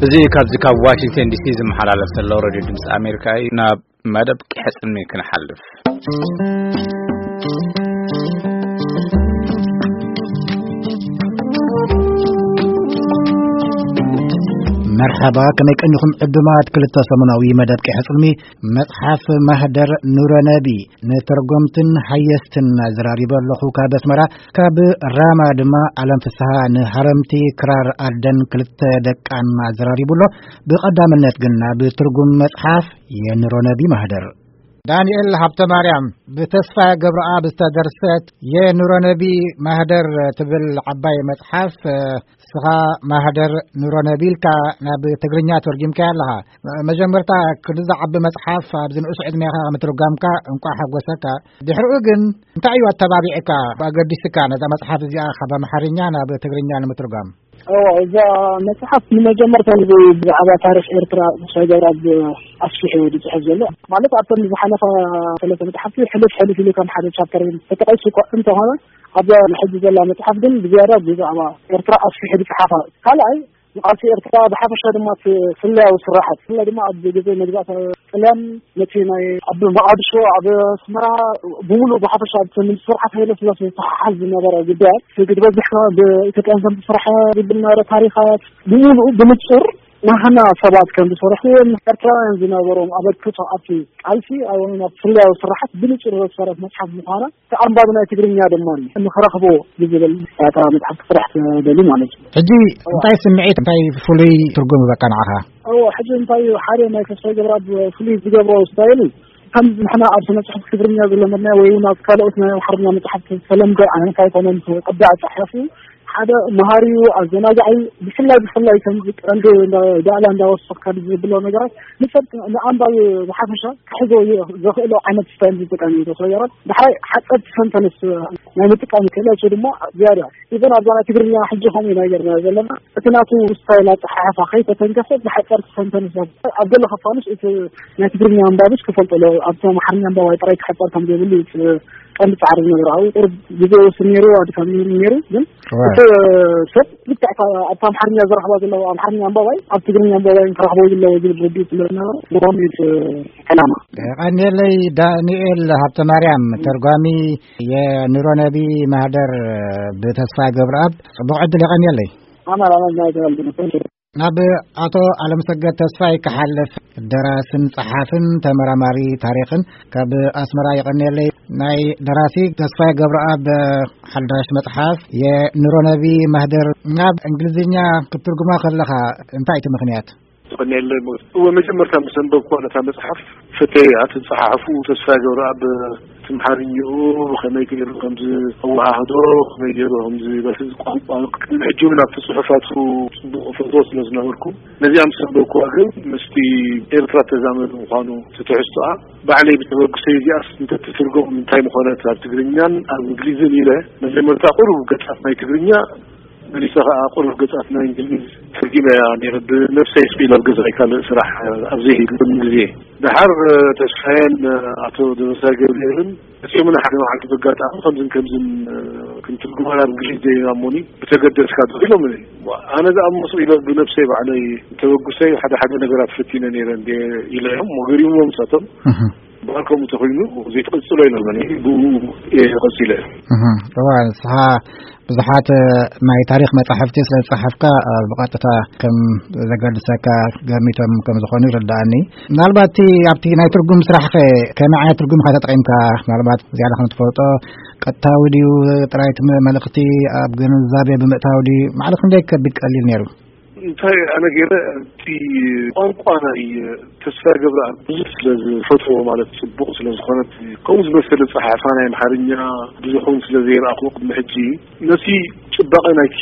እዚ ካብዚ ካብ ዋሽንግተን ዲሲ ዝመሓላለፍ ዘሎ ሬድዮ ድምፂ ኣሜሪካ እዩ። ናብ መደብ ቂሐ ጽልሚ ክንሓልፍ። መርሓባ፣ ከመይ ቀኒኹም ዕዱማት? ክልተ ሰሙናዊ መደብ ቂሐ ጽልሚ፣ መጽሓፍ ማህደር ኑረነቢ ንተርጎምትን ሃየስትን ኣዘራሪበ ኣለኹ ካብ ኣስመራ። ካብ ራማ ድማ ኣለም ፍስሃ ንሃረምቲ ክራር ኣደን ክልተ ደቃን ኣዘራሪቡ ኣሎ። ብቐዳምነት ግን ናብ ትርጉም መጽሓፍ የኑረነቢ ማህደር። ዳንኤል ሃብተ ማርያም፣ ብተስፋ ገብረኣብ ዝተደርሰት የኑረነቢ ማህደር ትብል ዓባይ መጽሓፍ፣ እስኻ ማህደር ኑረነቢ ኢልካ ናብ ትግርኛ ተርጊምካያ ኣለኻ። መጀመርታ ክንዲ ዝዓቢ መጽሓፍ ኣብዚ ንኡስ ዕድሜኻ ምትርጓምካ እንቋዕ ሓጎሰካ። ድሕሪኡ ግን እንታይ እዩ ኣተባቢዕካ፣ ኣገዲስካ ነዛ መጽሓፍ እዚኣ ካብ ኣምሓርኛ ናብ ትግርኛ ንምትርጓም? እዋ፣ እዛ መጽሓፍ ንመጀመርታ ግዜ ብዛዕባ ታሪኽ ኤርትራ ተስፋይ ገብረኣብ ኣስፊሑ እዩ ዝጽሕፍ ዘሎ። ማለት ኣብተን ዝሓለፋ ሰለስተ መጽሓፍቲ ሕልፍ ሕልፍ ኢሉ ከም ሓደ ቻፕተር ተጠቒሱ እኳ እንተኾነ፣ ኣብዛ ሕጂ ዘላ መጽሓፍ ግን ብዝያዳ ብዛዕባ ኤርትራ ኣስፊሑ ዝጸሓፋ። ካልኣይ፣ ንቃልሲ ኤርትራ ብሓፈሻ ድማ እቲ ስለያዊ ስራሓት፣ ብፍላይ ድማ ኣብ ግዜ መግዛእቲ ጥልያን ነቲ ናይ ኣብ መቓድሾ፣ ኣብ ኣስመራ ብምሉእ ብሓፈሻ እቲ ምስ ስርዓት ሃይለ ስላሴ ዝተሓሓዝ ዝነበረ ጉዳያት፣ እቲ ዝበዝሕ ከኣ ብኢትዮጵያን ከም ዝተሰርሐ ዝብል ነበረ ታሪኻት ብምሉኡ ብንጹር ናህና ሰባት ከም ዝሰርሕዎን ኤርትራውያን ዝነበሮም ኣበርክቶ ኣብቲ ቃልሲ ኣብ ናብ ፍልያዊ ስራሓት ብንጹር ዘስፈረት መጽሓፍ ምዃና እቲ ኣንባቢ ናይ ትግርኛ ድማ ንኽረኽቦ ብዝብል እታ መጽሓፍ ክስራሕ ትደሊ ማለት እዩ። ሕጂ እንታይ ስምዒት፣ እንታይ ፍሉይ ትርጉም ይበካ ንዓኻ? እዎ፣ ሕጂ እንታይ እዩ ሓደ ናይ ተስፋይ ገብረኣብ ፍሉይ ዝገብሮ ስታይል፣ ከም ንሕና ኣብ ስነ ጽሑፍ ትግርኛ ዝለመድናዮ ወይ እውን ኣብ ካልኦት ናይ ኣምሓርኛ መጽሓፍቲ ዝተለምደ ዓይነት ኣይኮነን። እቲ ቅዲ ኣጻሓሕፉ ሓደ መሃሪ እዩ፣ ኣዘናጋዒ እዩ። ብፍላይ ብፍላይ ከምዚ ቀንዲ እንዳ-፣ ዳእላ እንዳወሰኽካ ዝብሎ ነገራት ንሰብ ንኣንባቢ ብሓፈሻ ክሕዞ ይ-፣ ዘኽእሎ ዓይነት ስታይል ዝጥቀም እዩ ተስፋ ገብረኣብ። ዳሕራይ ሓጸርቲ ሰንተንስ ናይ ምጥቃም ክእለቱ ድማ ዝያዳ ኢቨን ኣብዛ ናይ ትግርኛ ሕጂ ከምኡ ኢና ጌርና ዘለና። እቲ ናቱ ስታይል ኣጸሓሕፋ ከይተተንከፈ ብሓጸርቲ ሰንተንስ ኣብ ገለ ክፋሉስ እቲ ናይ ትግርኛ ኣንባብስ ክፈልጦ ኣለዎ። ኣብቲ ኣምሓርኛ ኣንባባይ ጥራይ ክሕጸር ከም ዘይብሉ እዩ እቲ ቀንዲ ጻዕሪ ዝነበረ። ኣብኡ ቁሩብ ግዜ ይወስድ ነይሩ፣ ኣድካሚ ነይሩ። ግን እዋ። እቲ ሰብ ልክዕ እታ ኣብቲ ኣምሓርኛ ዝረኽባ ዘለዉ ኣምሓርኛ ኣንባባይ ኣብ ትግርኛ ኣንባባይ ክረኽቦ ዘለዎ ዝብል ርድኢት ስለ ዝነበረ፣ ምዃኑ እዩ እቲ ዕላማ። ቀንየለይ ዳንኤል ሃብተ ማርያም፣ ተርጓሚ የኑረነቢ ማህደር ብተስፋ ገብረኣብ፣ ጽቡቕ ዕድል የቐንየለይ። ኣማን፣ ኣማን፣ ናይ ተባልኩ። ናብ ኣቶ ኣለምሰገድ ተስፋይ ክሓልፍ፣ ደራስን ጸሓፍን ተመራማሪ ታሪኽን ካብ ኣስመራ። የቐንየለይ። ናይ ደራሲ ተስፋይ ገብረኣብ ሓዳሽ መጽሓፍ የኑረነቢ ማህደር ናብ እንግሊዝኛ ክትትርጉማ ከለኻ እንታይ እቲ ምኽንያት? ትቐንየለይ ሞት። እወ፣ መጀመርታ ምስ ኣንበብኩዋ ነታ መጽሓፍ፣ ፈተያ፣ እቲ ዝጸሓሕፉ ተስፋ ገብረኣብ ትምሓርኝኡ ብኸመይ ገይሩ ከም ዝኣወሃህዶ፣ ከመይ ገይሩ ከም ዝበትዝ ቋንቋ፣ ቅድሚ ሕጂ እውን ኣብቲ ጽሑፋቱ ጽቡቕ እፈትዎ ስለ ዝነበርኩ፣ ነዚኣ ምስ ኣንበብኩዋ ግን ምስቲ ኤርትራ ተዛመዱ ምዃኑ እቲ ትሕዝቶኣ ባዕለይ ብተበግሶ እዚኣስ እንተትትርጎም እንታይ ምኾነት ኣብ ትግርኛን ኣብ እንግሊዝን ኢለ መጀመርታ ቁሩብ ገጻት ናይ ትግርኛ መሊሰ ኸኣ ቁሩብ ገጻት ናይ እንግሊዝ ተርጊመያ ነይረ፣ ብነብሰይ ስቕ ኢለ ኣብ ገዛይ ካልእ ስራሕ ኣብ ዘይህልወኒ ግዜ። ደሓር ተስፋየን ኣቶ ደበሳይ ገብርኤልን መጺኦምና ሓደ መዓልቲ በጋጣሚ ከምዝን ከምዝን ክንትርጉማ ናብ እንግሊዝ ደይና እሞኒ ብተገደስካ ዶ ኢሎምኒ። ኣነ ደኣ እሞ ስቕ ኢለ ብነብሰይ ባዕለይ ተበግሶይ ሓደ ሓደ ነገራት ፈቲነ ነይረ እንዴ ኢለዮም፣ ገሪሞም ንሳቶም። እህ። እምበኣር ከምኡ ተኾይኑ ዘይትቕጽሎ ኢሎምኒ፣ ብኡ እየ ቀጺለ። እህ። እዋ፣ ንስኻ ብዙሓት ናይ ታሪኽ መጻሕፍቲ ስለ ዝጸሓፍካ፣ እ፣ ብቐጥታ ከም ዘገድሰካ ገሚቶም ከም ዝኾኑ ይርድኣኒ። ምናልባት እቲ ኣብቲ ናይ ትርጉም ስራሕኸ ከመይ ዓይነት ትርጉም ኢኻ ተጠቒምካ? ምናልባት ዝያዳ ከም ትፈልጦ ቀጥታዊ ድዩ ጥራይ እቲ መ-፣ መልእኽቲ ኣብ ግንዛቤ ብምእታው ድዩ? ማዕረ ክንደይ ከቢድ ቀሊል ነይሩ? እንታይ ኣነ ገይረ፣ እቲ ቋንቋ ናይ ተስፋ ገብረኣብ ብዙሕ ስለ ዝፈትዎ፣ ማለት ጽቡቕ ስለ ዝኾነት፣ ከምኡ ዝመሰለ ጸሓሕፋ ናይ ኣምሓርኛ ብዙሕ እውን ስለ ዘይረኣኹ ቅድሚ ሕጂ፣ ነቲ ጽባቐ ናይቲ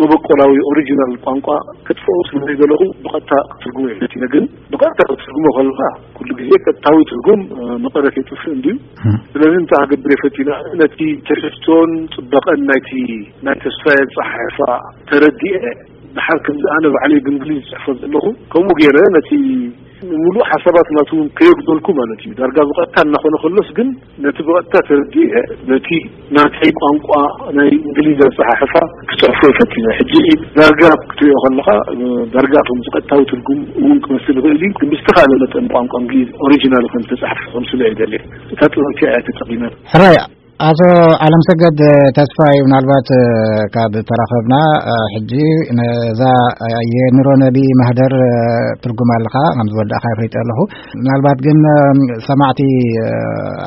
መበቆላዊ ኦሪጂናል ቋንቋ ከጥፍኦ ስለ ዘይደለኹ ብቐጥታ ክትርጉሞ እየ ፈቲነ። ግን ብቐጥታ ክትርጉሞ ከለኻ ኩሉ ግዜ ቀጥታዊ ትርጉም፣ እ፣ መቐረት የጥፍእ እንድዩ። እም። ስለዚ እንታይ ክገብር እየ ፈቲነ፣ ነቲ ትሕዝቶን ጽባቐን ናይቲ ናይ ተስፋ ኣጸሓሕፋ ተረዲኤ፣ ድሓር ከምዚ ኣነ ባዕለይ ብእንግሊዝ ዝጽሕፎ ዘለኹ፣ ከምኡ ገይረ ነቲ ሙሉእ ሓሳባት ናቱ እውን ከየጉደልኩ ማለት እዩ። ዳርጋ ብቐጥታ እናኾነ ከሎስ ግን ነቲ ብቐጥታ ተረዲኤ፣ ነቲ ናተይ ቋንቋ ናይ እንግሊዝ ኣጸሓሕፋ ክጽሕፎ ፈቲነ። ሕጂ ዳርጋ ክትሪኦ ከለኻ፣ ዳርጋ ከም ቀጥታዊ ትርጉም እውን ክመስል ይኽእል እዩ፣ ግን ብዝተኻእለ መጠን ቋንቋ እንግሊዝ ኦሪጂናል ከም ዝተጻሕፈ ከምስሎ እየ ደልየ። እታ ጥበብ እቲኣ እያ ተጠቒመ። ሕራይ፣ ኣቶ ዓለምሰገድ ተስፋይ፣ ምናልባት፣ እ፣ ካብ ተራኸብና፣ እ፣ ሕጂ ነዛ፣ እ፣ የኑሮ ነቢ ማህደር፣ እ፣ ትርጉም ኣለኻ ከም ዝወዳእኻ ኣፍሊጠ ኣለኹ። ምናልባት ግን፣ እ፣ ሰማዕቲ፣ እ፣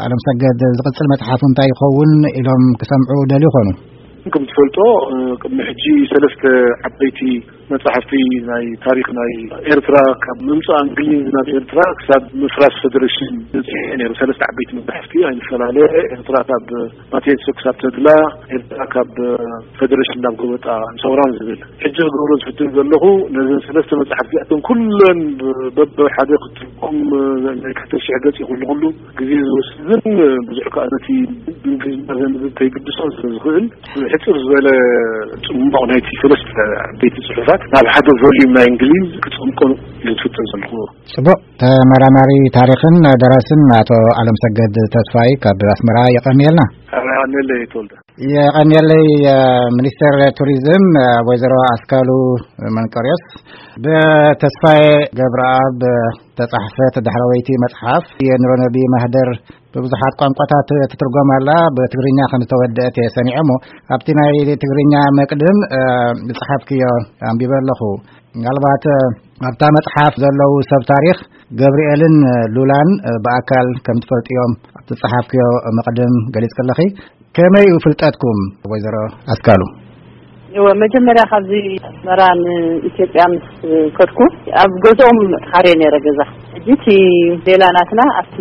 ዓለምሰገድ ዝቕጽል መጽሓፉ እንታይ ይኸውን ኢሎም ክሰምዑ ደልዩ ይኾኑ። ከም ትፈልጦ፣ እ፣ ቅድሚ ሕጂ ሰለስተ ዓበይቲ መጻሕፍቲ ናይ ታሪኽ ናይ ኤርትራ፣ ካብ ምምጻእ እንግሊዝ ናብ ኤርትራ ክሳብ ምፍራስ ፌደሬሽን፣ ነይሩ። ሰለስተ ዓበይቲ መጻሕፍቲ፣ ኣይንፈላለ፣ ኤርትራ ካብ ማቴንሶ ክሳብ ተድላ፣ ኤርትራ ካብ ፌደሬሽን ናብ ጎበጣ ሰውራን ዝብል። ሕጂ ክገብሮ ዝፍትን ዘለኹ፣ ነዘን ሰለስተ መጻሕፍቲ እተን ኩለን በብሓደ ክትርጎም ናይ ክልተ ሽሕ ገጽ ይኹን ንኹሉ ግዜ ዝወስድን ብዙሕ ከኣ ነቲ ብእንግሊዝኛ ዘንብብ ከይግድሶን ስለ ዝኽእል፣ ሕጽር ዝበለ ጽሙቕ ናይቲ ሰለስተ ዓበይቲ ጽሑፋት ናብ ሓደ ቮልዩም ናይ እንግሊዝ ክጸምቆ ዝፍትን ዘለኹ። ጽቡቕ። ተመራማሪ ታሪኽን ደራስን ኣቶ ኣለምሰገድ ተስፋይ ካብ ኣስመራ የቐንየልና። ኣነ ተወልደ። የቐንየለይ። ሚኒስተር ቱሪዝም ወይዘሮ ኣስካሉ መንቀርዮስ፣ ብተስፋዬ ገብረኣብ ተጻሕፈት ዳሕረወይቲ መጽሓፍ የኑሮ ነቢ ማህደር ብብዙሓት ቋንቋታት ትትርጎም ኣላ። ብትግርኛ ከም ዝተወደአት እየ ሰሚዐ እሞ፣ ኣብቲ ናይ ትግርኛ መቅድም፣ እ፣ ዝጸሓፍክዮ ኣንቢበ ኣለኹ። ምናልባት፣ እ፣ ኣብታ መጽሓፍ ዘለዉ ሰብ ታሪኽ ገብርኤልን ሉላን፣ እ፣ ብኣካል ከም ትፈልጥዮም ኣብቲ ዝጸሓፍክዮ መቅድም ገሊጽክለኺ። ከመይ እዩ ፍልጠትኩም፣ ወይዘሮ ኣስካሉ? እወ፣ መጀመርያ ካብዚ ኣስመራ ንኢትዮጵያ ምስ ከድኩ፣ ኣብ ገዝኦም ተኻርየ ነይረ ገዛ። ሕጂ እቲ ሌላ ናትና ኣብቲ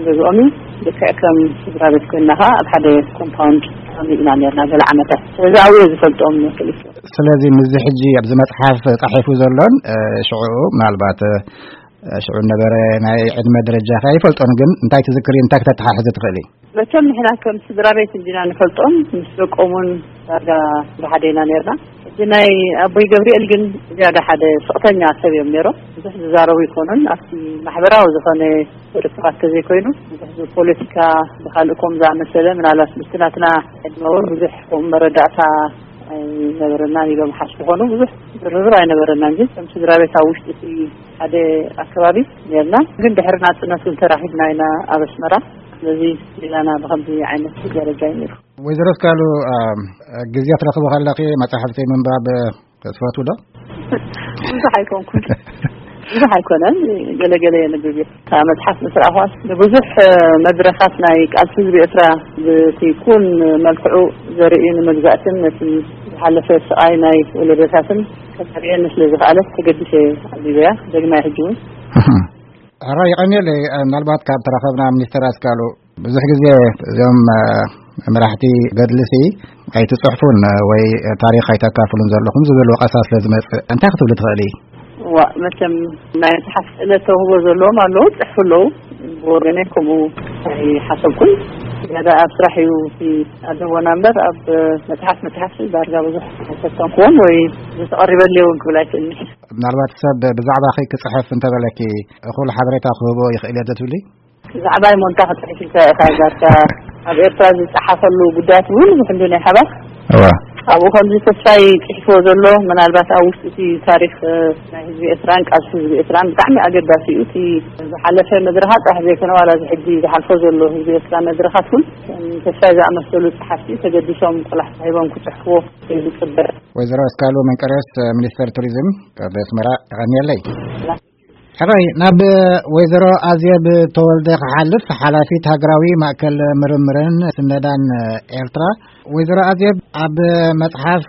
ገዝኦም እዩ። ልክዕ ከም ስድራ ቤት ኮይንና ኸዓ ኣብ ሓደ ኮምፓውንድ ተቐሚጥና ነይርና ገለ ዓመታት። ስለዚ ኣብኡ እየ ዝፈልጦም ክልተ። ስለዚ ምስዚ ሕጂ ኣብዚ መጽሓፍ ተጻሒፉ ዘሎን፣ እ፣ ሽዑ ምናልባት፣ እ፣ ሽዑ ነበረ ናይ ዕድመ ደረጃ ከ ኣይፈልጦን፣ ግን እንታይ ትዝክሪ፣ እንታይ ክተተሓሕዚ ትኽእሊ? መቸም ንሕና ከም ስድራ ቤት እንዲና ንፈልጦም፣ ምስ ደቆም እውን ዳርጋ ብሓደ ኢና ነርና። እቲ ናይ ኣቦይ ገብርኤል ግን ዝያዳ ሓደ ስቕተኛ ሰብ እዮም ነይሮም። ብዙሕ ዝዛረቡ ይኮኑን፣ ኣብቲ ማሕበራዊ ዝኾነ ርክባት ተዘይኮይኑ፣ ብዙሕ ብፖለቲካ ብካልእ ከም ዝኣመሰለ፣ ምናልባት ምስቲ ናትና ዕድመ እውን ብዙሕ ከምኡ መረዳእታ ኣይነበረናን ኢሎም ሓስቡ ኮኑ። ብዙሕ ዝርርብ ኣይነበረናን፣ ግን ከም ስድራ ቤት ኣብ ውሽጢ እቲ ሓደ ኣከባቢ ነርና። ግን ድሕሪ ናጽነት እውን ተራኺብና ኢና ኣብ ኣስመራ። ስለዚ ሌላና ብኸምዚ ዓይነት ደረጃ እዩ ነይሩ። ወይዘሮ ኣስካሉ፣ አ፣ ግዜ ትረኽቡ ከለኺ መጻሕፍቲ ምንባብ ትፈትዉ ዶ? ብዙሕ ኣይኮንኩን። ብዙሕ ኣይኮነን። ገለ ገለ የንብብ እየ። እታ መጽሓፍ ምስ ረኣኹዋስ ንብዙሕ መድረኻት ናይ ቃልሲ ህዝቢ ኤርትራ ብቲ ኩን መልክዑ ዘርኢ ንመግዛእትን ነቲ ዝሓለፈ ስቓይ ናይ ወለዶታትን ከተርእየኒ ስለ ዝኸኣለት ተገዲሰ ኣንቢበያ። ደግማይ ሕጂ እውን። ሕራይ፣ የቐንየለይ። ምናልባት ካብ ተራኸብና ሚኒስተር ኣስካሉ፣ ብዙሕ ግዜ እዞም፣ እ፣ መራሕቲ ገድልሲ ኣይትጽሕፉን ወይ ታሪኽ ኣይተካፍሉን ዘለኹም ዝብል ወቐሳ ስለ ዝመጽእ፣ እንታይ ክትብሊ ትኽእሊ? ዋ፣ መቸም ናይ መጽሓፍ ክእለት ተውህቦ ዘለዎም ኣለዉ፣ ጽሕፉ ኣለዉ። ብወገነይ ከምኡ ኣይሓሰብኩን። ዝያዳ ኣብ ስራሕ እዩ እቲ ኣድህቦና እምበር፣ ኣብ መጽሓፍ፣ መጽሓፍ ዳርጋ ብዙሕ ኣይፈተንኩዎን ወይ ዝተቐሪበለይ እውን ክብል ኣይክእልኒ። ምናልባት ሰብ ብዛዕባኺ ክጽሕፍ እንተበለኪ፣ እኹል ሓበሬታ ክህቦ ይኽእል እየ ዶ ትብሊ? ብዛዕባይ ሞንታ ክጽሕፍ ኢልካ ኢኻ ዛርካ። ኣብ ኤርትራ ዝጸሓፈሉ ጉዳያት እውን ብዙሕ እንዱ ናይ ሓባር። እዋ። ኣብኡ ከምዚ ተስፋይ ጽሒፍዎ ዘሎ፣ ምናልባት ኣብ ውሽጢ እቲ ታሪኽ፣ እ፣ ናይ ህዝቢ ኤርትራን ቃልሲ ህዝቢ ኤርትራን ብጣዕሚ ኣገዳሲ እዩ። እቲ ዝሓለፈ መድረኻት ጥራሕ ዘይኮነ፣ ዋላ እዚ ሕጂ ዝሓልፎ ዘሎ ህዝቢ ኤርትራ መድረኻት እውን፣ ከም ተስፋይ ዝኣመሰሉ ጸሓፍቲ ተገዲሶም ቆላሕታ ሂቦም ክጽሕፍዎ ይጽበ። ወይዘሮ ኣስካሉ መንቀርዮስ፣ ሚኒስተር ቱሪዝም፣ ካብ ኣስመራ፣ የቐንየለይ። ሕራይ፣ ናብ ወይዘሮ ኣዜብ ተወልደ ክሓልፍ፣ ሓላፊት ሃገራዊ ማእከል ምርምርን ስነዳን ኤርትራ። ወይዘሮ ኣዜብ፣ ኣብ መጽሓፍ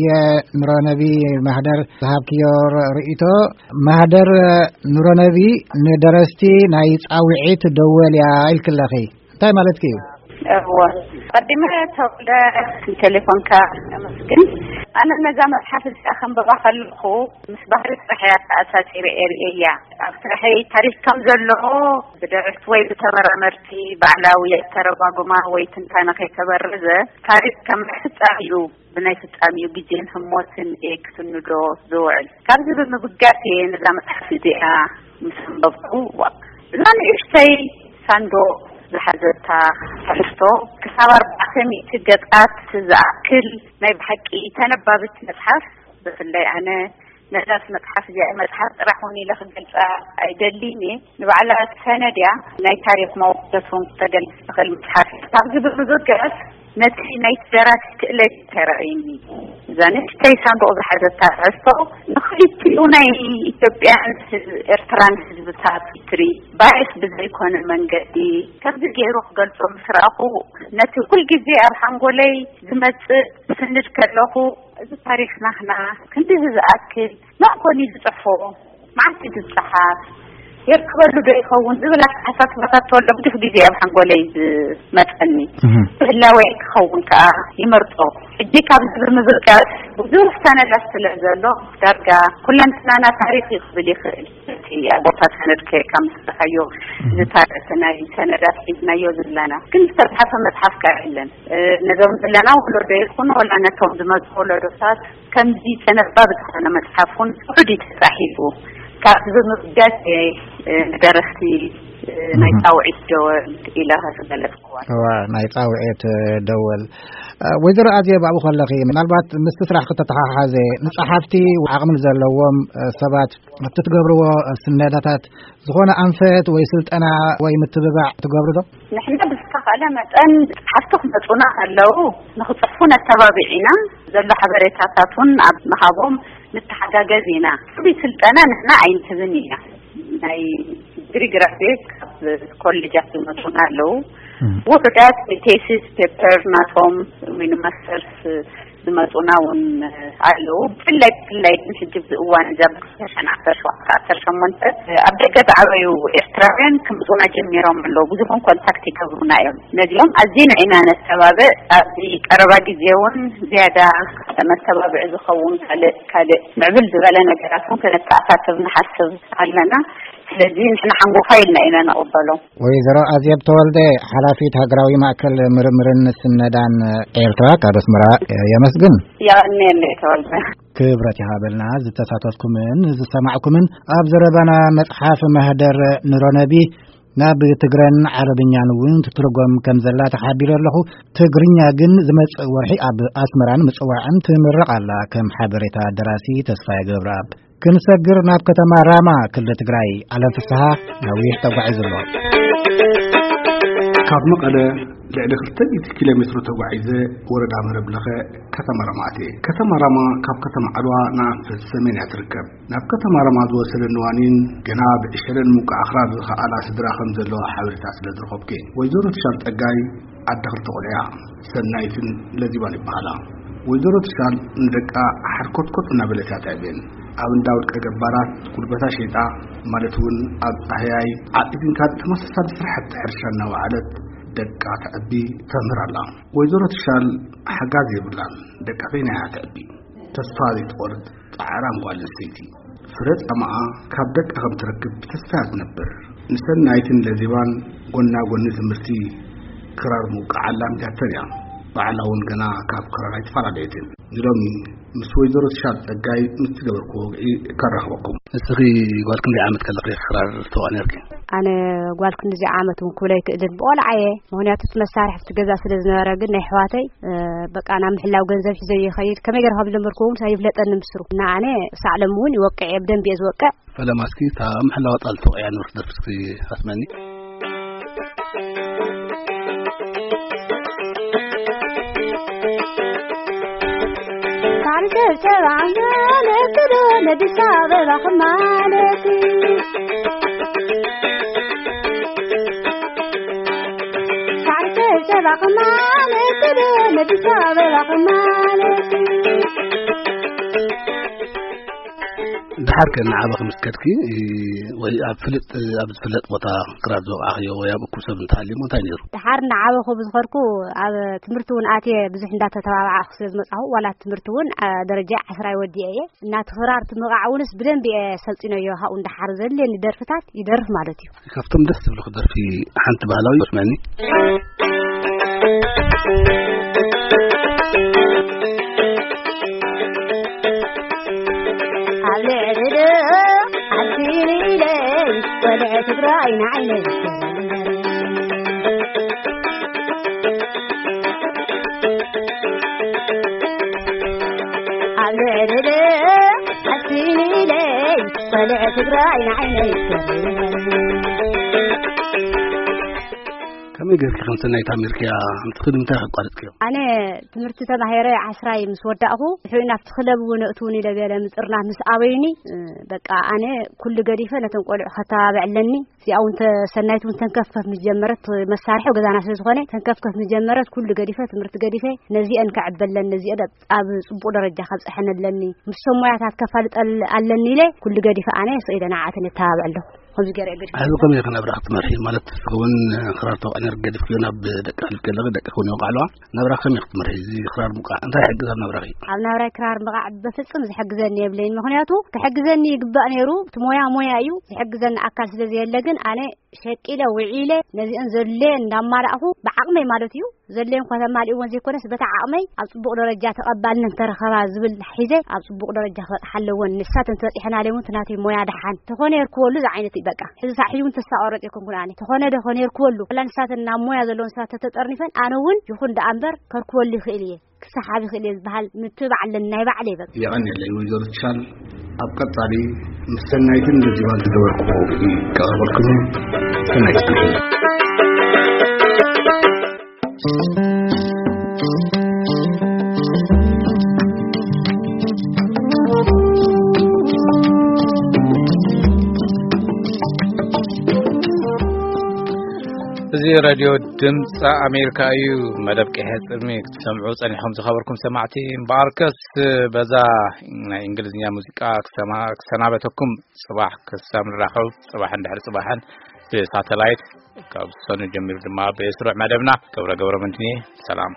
የኑረነቢ ማህደር ዝሃብክዮ ር-፣ ርእይቶ፣ ማህደር ኑረነቢ ንደረስቲ ናይ ጻውዒት ደወል እያ ኢልክለኺ። እንታይ ማለትኪ እዩ? እወ። ቀዲመ ተወልደ ንቴሌፎንካ ኣመስግን። ኣነ ነዛ መጽሓፍ እዚኣ ከንብባ ከለኹ ምስ ባህሪ ጥራሕ እያ ተኣሳሲረ እየ ርእየያ። ኣብ ስራሐይ ታሪኽ ከም ዘሎ ብደረስቲ ወይ ብተመራመርቲ ባዕላዊ ኣተረጓጉማ ወይ ትንታነ ከይተበረዘ፣ ታሪኽ ከም ናይ ፍጻሜኡ፣ ብናይ ፍጻሜኡ ግዜን ህሞትን እየ ክስንዶ ዝውዕል። ካብዚ ብምብጋስ እየ ነዛ መጽሓፍ እዚኣ ምስ ኣንበብኩ፣ ዋ፣ እዛ ንእሽተይ ሳንዱቕ ዝሓዘታ ትሕዝቶ ክሳብ ኣርባዕተ ሚእቲ ገጻት ዝኣክል ናይ ብሓቂ ተነባብት መጽሓፍ፣ ብፍላይ ኣነ ነዛስ መጽሓፍ እዚኣ መጽሓፍ ጥራሕ እውን ኢለ ክገልጻ ኣይደልን እየ። ንባዕላ ሰነድ እያ፣ ናይ ታሪኽ መወከስ እውን ክተገልጽ ትኽእል መጽሓፍ እያ። ካብዚ ብምብጋስ ነቲ ናይ ደራሲ ክእለት ተራእዩኒ። እዛ ንእሽተይ ሳንዱቕ ዝሓዘታ ትሕዝቶ ንኽልቲኡ ናይ ኢትዮጵያን ህዝብ-፣ ኤርትራን ህዝብታት ሂስትሪ ባይስ ብዘይኮነ መንገዲ ከምዚ ገይሩ ክገልጾ ምስ ረኣኹ፣ ነቲ ኩልግዜ ኣብ ሓንጎለይ ዝመጽእ ስንድ ከለኹ፣ እዚ ታሪኽ ናህና ክንድዚ ዝኣክል መን ኮን እዩ ዝጽሕፎ? መዓስ እዩ ዝጸሓፍ? የርከበሉ ዶ ይኸውን? ዝብል ኣተሓሳስባታት ተወልደ ብዙሕ ግዜ ኣብ ሓንጎለይ ዝመጸኒ። እህ። ብህላወይ ክኸውን ከኣ ይመርጾ። ሕጂ ካብዚ ብምብጋስ ብዙሕ ሰነዳት ስለ ዘሎ፣ ዳርጋ ኩለንትናና ታሪኽ እዩ ክብል ይኽእል። እቲ ኣብ ቦታ ሰነድ ከይድካ ምስ ረኣኻዮ፣ እህ። ዝታ-፣ እቲ ናይ ሰነዳት ሒዝናዮ ዘለና። ግን ዝተጽሓፈ መጽሓፍ ከኣ የለን። እ፣ ነዞም ዘለና ወለዶ ይኹን፣ ወላ ነቶም ዝመጹ ወለዶታት፣ ከምዚ ተነባቢ ዝኾነ መጽሓፍ እውን ውሑድ እዩ ተጻሒፉ። ካብዚ ብምብጋስ እየ፣ እ፣ ንደረስቲ፣ እ፣ ናይ እህ። ጻውዒት ደወል ኢለ ዝገለጽክዋ። እዋ፣ ናይ ጻውዒት፣ እ፣ ደወል። እ፣ ወይዘሮ ኣዜብ፣ ኣብኡ ከለኺ፣ ምናልባት ምስቲ ስራሕ ክተተሓሓዘ፣ ንጸሓፍቲ ዓቕሚ ዘለዎም፣ እ፣ ሰባት ኣብቲ ትገብርዎ፣ እ፣ ስነዳታት ዝኾነ ኣንፈት ወይ ስልጠና ወይ ምትብባዕ ትገብሩ ዶ? ንሕና ብዝተኻእለ መጠን ጸሓፍቲ ክመጹና ከለዉ ንኽጽሕፉ ነተባብዕ ኢና። ዘሎ ሓበሬታታት እውን ኣብ ምሃቦም ንተሓጋገዝ ኢና። ፍሉይ ስልጠና ንሕና ኣይንህብን ኢና። ናይ ዲግሪ ግራጁዌት ካብ ኮሌጃት ዝመጹና ኣለዉ። እም። ውሑዳት ቴሲስ ፔፐር ናቶም ወይ ንማስተርስ ዝመጹና እውን ኣለዉ። ብፍላይ፣ ብፍላይ ግን ሕጂ ኣብዚ እዋን እዚ ኣብ ክልተ ሽሕን ዓሰርተ ሸውዓተ ዓሰርተ ሸሞንተ ኣብ ደገ ዝዓበዩ ኤርትራውያን ክመጹና ጀሚሮም ኣለዉ። ብዙሕ እውን ኮንታክት ይገብሩና እዮም። ነዚኦም ኣዚና ኢና ነተባብዕ። ኣብዚ ቀረባ ግዜ እውን ዝያዳ መተባብዒ ዝኸውን ካልእ፣ ካልእ ምዕብል ዝበለ ነገራት እውን ከነተኣሳስብ ንሓስብ ኣለና። ስለዚ ንሕና ሓንጎፋይ ኢልና ኢና ንቕበሎ። ወይዘሮ ኣዜብ ተወልደ፣ ሓላፊት ሃገራዊ ማእከል ምርምርን ስነዳን ኤርትራ፣ ካብ ኣስመራ የመስግን። የቐንየለይ ተወልደ። ክብረት ይሃበልና ዝተሳተፍኩምን ዝሰማዕኩምን ኣብ ዘረባና መጽሓፍ ማህደር ኑረነቢ ናብ ትግረን ዓረብኛን እውን ትትርጎም ከም ዘላ ተሓቢረ ኣለኹ። ትግርኛ ግን ዝመጽእ ወርሒ ኣብ ኣስመራን ምጽዋዕን ትምረቕ ኣላ። ከም ሓበሬታ ደራሲ ተስፋዬ ገብረኣብ። ክንሰግር ናብ ከተማ ራማ ክልል ትግራይ። ኣለም ፍስሃ ነዊሕ ተጓዒዙ ኣሎ። ካብ መቐለ ልዕሊ ክልተ ሚእቲ ኪሎ ሜትሮ ተጓዒዘ ወረዳ መረብ ለኸ ከተማ ራማ ኣትየ። ከተማ ራማ ካብ ከተማ ዓድዋ ንኣንፈት ሰሜን እያ ትርከብ። ናብ ከተማ ራማ ዝወሰደኒ ዋኒን ገና ብዕሸለን ምውቃዕ ኣኽራን ዝኸኣላ ስድራ ከም ዘለዋ ሓበሬታ ስለ ዝረኸብኩ እየ። ወይዘሮ ትሻል ጸጋይ ዓዲ ክልተ ቆልዑ እያ። ሰናይትን ለዚባን ይበሃላ። ወይዘሮ ትሻል ንደቃ ሓርኮትኮት እናበለት እያ ተዕብየን። ኣብ እንዳ ውልቀ ገባራት ጉልበታ ሸይጣ፣ ማለት እውን ኣብ ጻህያይ ዓጢቲንካ ተመሳሳሊ ስራሕቲ ሕርሻ እናወዓለት ደቃ ተዕቢ ተምህር ኣላ። ወይዘሮ ትሻል ሓጋዝ የብላን። ደቃ በይና እያ ተዕቢ። ተስፋ ዘይትቆርጽ ጻዕራም ጓል ኣንስተይቲ። ፍረ ጻማኣ ካብ ደቃ ከም ትረክብ ብተስፋ እያ ትነብር። ንሰናይትን ለዚባን ጎና ጎኒ ትምህርቲ ክራር ምውቃዕ ኣላሚዳተን እያ። ባዕላ እውን ገና ካብ ክራር ኣይተፈላለየትን። ንሎሚ ምስ ወይዘሮ ትሻል ጸጋይ ምስ ትገበርኩ ወግዒ ከራኽበኩም። እስኺ ጓል ክንደይ ዓመት ከለኺ ክራር ትወቕዒ ነርኪ? ኣነ ጓል ክንድዚ ዓመት እውን ክብሎ ኣይክእልን። ብቆልዓ እየ። ምኽንያቱ እቲ መሳርሒ ኣብቲ ገዛ ስለ ዝነበረ፣ ግን ናይ ኣሕዋተይ፣ እ፣ በቃ ናብ ምሕላው ገንዘብ ሒዘ ይኸይድ። ከመይ ገይረ ከም ዝለመድኩ እውን ኣይፍለጠንን ብስሩ። እና ኣነ ክሳዕ ሎሚ እውን ይወቅዕ እየ፣ ብደንቢ እየ ዝወቅዕ። ፈለማ እስኪ እታ ምሕላዋ ጣል ተወቅዕያ ነበርክ ደርፊ እስኪ ኣስመኒ። ሳዕሪ ጨብጨባ ማለት ዶ ነዲስ ኣበባ ክማለት? ሳዕሪ ጨብጨባ ክማለት ዶ ነዲስ ኣበባ ክማለት? ድሓር ከ ንዓበ ክምስከድኪ ወይ ኣብ ፍልጥ፣ ኣብ ዝፍለጥ ቦታ ክራር ዝወቕዓኽዮ ወይ ኣብ እኩብ ሰብ እንተሃልዩሞ እንታይ ነይሩ? ድሓር ንዓበኹ ብዝኸድኩ ኣብ ትምህርቲ እውን ኣትየ ብዙሕ እንዳተተባባዕኹ ስለ ዝመጻኹ፣ ዋላ ትምህርቲ እውን፣ አ፣ ደረጃ ዓስራ ወዲኤ እየ። እና እቲ ክራር እቲ ምቕዓዕ እውንስ ብደንቢ እየ ሰልጢነዮ። ካብኡ እንዳሓር ዘድልየኒ ደርፍታት ይደርፍ ማለት እዩ። ካብቶም ደስ ዝብሉኺ ደርፊ ሓንቲ ባህላዊ ስመኒ። ኣብ ልዕሊ ዶ ዓዲ ኢለ ትግራይ ንዓይነይ ኣብ ልዕሊ ኣስሚለይ፣ ቆልዕ ትግራይ ንዓይነይ። ከመይ ጌርኪ ከም ሰናይት ኣሜሪካ ኣምፅኺ ንምንታይ ኣቋሪፅክዮ? ኣነ ትምህርቲ ተማሂረ ዓስራይ ምስ ወዳእኹ፣ ንሕና ኣብቲ ክለብ እውን እእትውን ኢለ ገለ ምፅርናፍ ምስ ኣበዩኒ፣ እ፣ በቃ ኣነ ኩሉ ገዲፈ ነቶም ቆልዑ ከተባብዕ ኣለኒ። እዚኣ እውን ተ-፣ ሰናይት እውን ተንከፍከፍ ምስ ጀመረት፣ መሳርሒ ገዛና ስለ ዝኾነ ተንከፍከፍ ምስ ጀመረት፣ ኩሉ ገዲፈ፣ ትምህርቲ ገዲፈ፣ ነዚአን ከዕበለን፣ ነዚአን ኣብ፣ ኣብ ፅቡቕ ደረጃ ከብፅሐን ኣለኒ። ምስቶም ሞያታት ከፋልጠል ኣለኒ ኢለ ኩሉ ገዲፈ ኣነ ስኢለ ንዓኣተን የተባብዕ ኣለኹ። ከምዚ ገይረ እየ ገዲፈ። ሕዚ ከመይ ኢኺ ናብራ ክትመርሒ? ማለት እውን ክራር ተወቃዕ ነር ገዲፍክዮ ናብ ደቂ ኣሕሊፍኪ ኣለኺ፣ ደቂ እውን ይወቃዕ ኣለዋ። ናብራ ከመይ ክትመርሒ? እዚ ክራር ምውቃዕ እንታይ ይሕግዝ ኣብ ናብራኺ? ኣብ ናብራይ ክራር ምውቃዕ በፍጹም ዝሕግዘኒ የብለይን። ምኽንያቱ ክሕግዘኒ ይግባእ ነይሩ። እቲ ሞያ ሞያ እዩ። ዝሕግዘኒ ኣካል ስለ ዘየለ ግን ኣነ ሸቂለ ውዒለ ነዚአን ዘድልየን እንዳማላእኹ ብዓቕመይ ማለት እዩ። ዘድልየን እኳ ተማሊእወን ዘይኮነስ በታ ዓቕመይ ኣብ ጽቡቕ ደረጃ ተቐባልነት እንተረኸባ ዝብል ሒዘ ኣብ ጽቡቕ ደረጃ ክበጽሓ ኣለወን። ንሳተን ተበጺሐናለይ እውን እቲ ናተይ ሞያ ደሓን ተኾነ የርክበሉ ዝዓይነት እዩ በቃ። ሕዚ ሳዕ ሕጂ እውን ተስፋ ቆረጽ ኣይኮንኩን ኣነ። ተኾነ ዶ ኾነ የርክበሉ። ዋላ ንሳተን ናብ ሞያ ዘለወን ሰባት ተተጠርኒፈን ኣነ እውን ይኹን ደኣ እምበር ከርክበሉ ይኽእል እየ። ክሰሓብ ይኽእል እየ ዝበሃል ምትብባዕ ኣለኒ ናይ ባዕለይ በቃ። የቐንየለይ ወይዘሮ ትሻል። ኣብ ቀጻሊ ምስ ሰናይትን ደዚባን ዝገበርኩዎ ክቐርበልኩም እየ። ሰናይት። እዚ ሬድዮ ድምፂ ኣሜሪካ እዩ። መደብ ቀይሐ ጽልሚ ክትሰምዑ ጸኒሖም ዝኸበርኩም ሰማዕቲ። እምበኣርከስ በዛ ናይ እንግሊዝኛ ሙዚቃ ክሰማ-፣ ክሰናበተኩም። ጽባሕ ክሳብ ንራኸብ፣ ጽባሕን ድሕሪ ጽባሕን ብሳተላይት ካብ ሰኑ ጀሚሩ ድማ ብስሩዕ መደብና። ገብረ ገብረ መድህን እየ። ሰላም።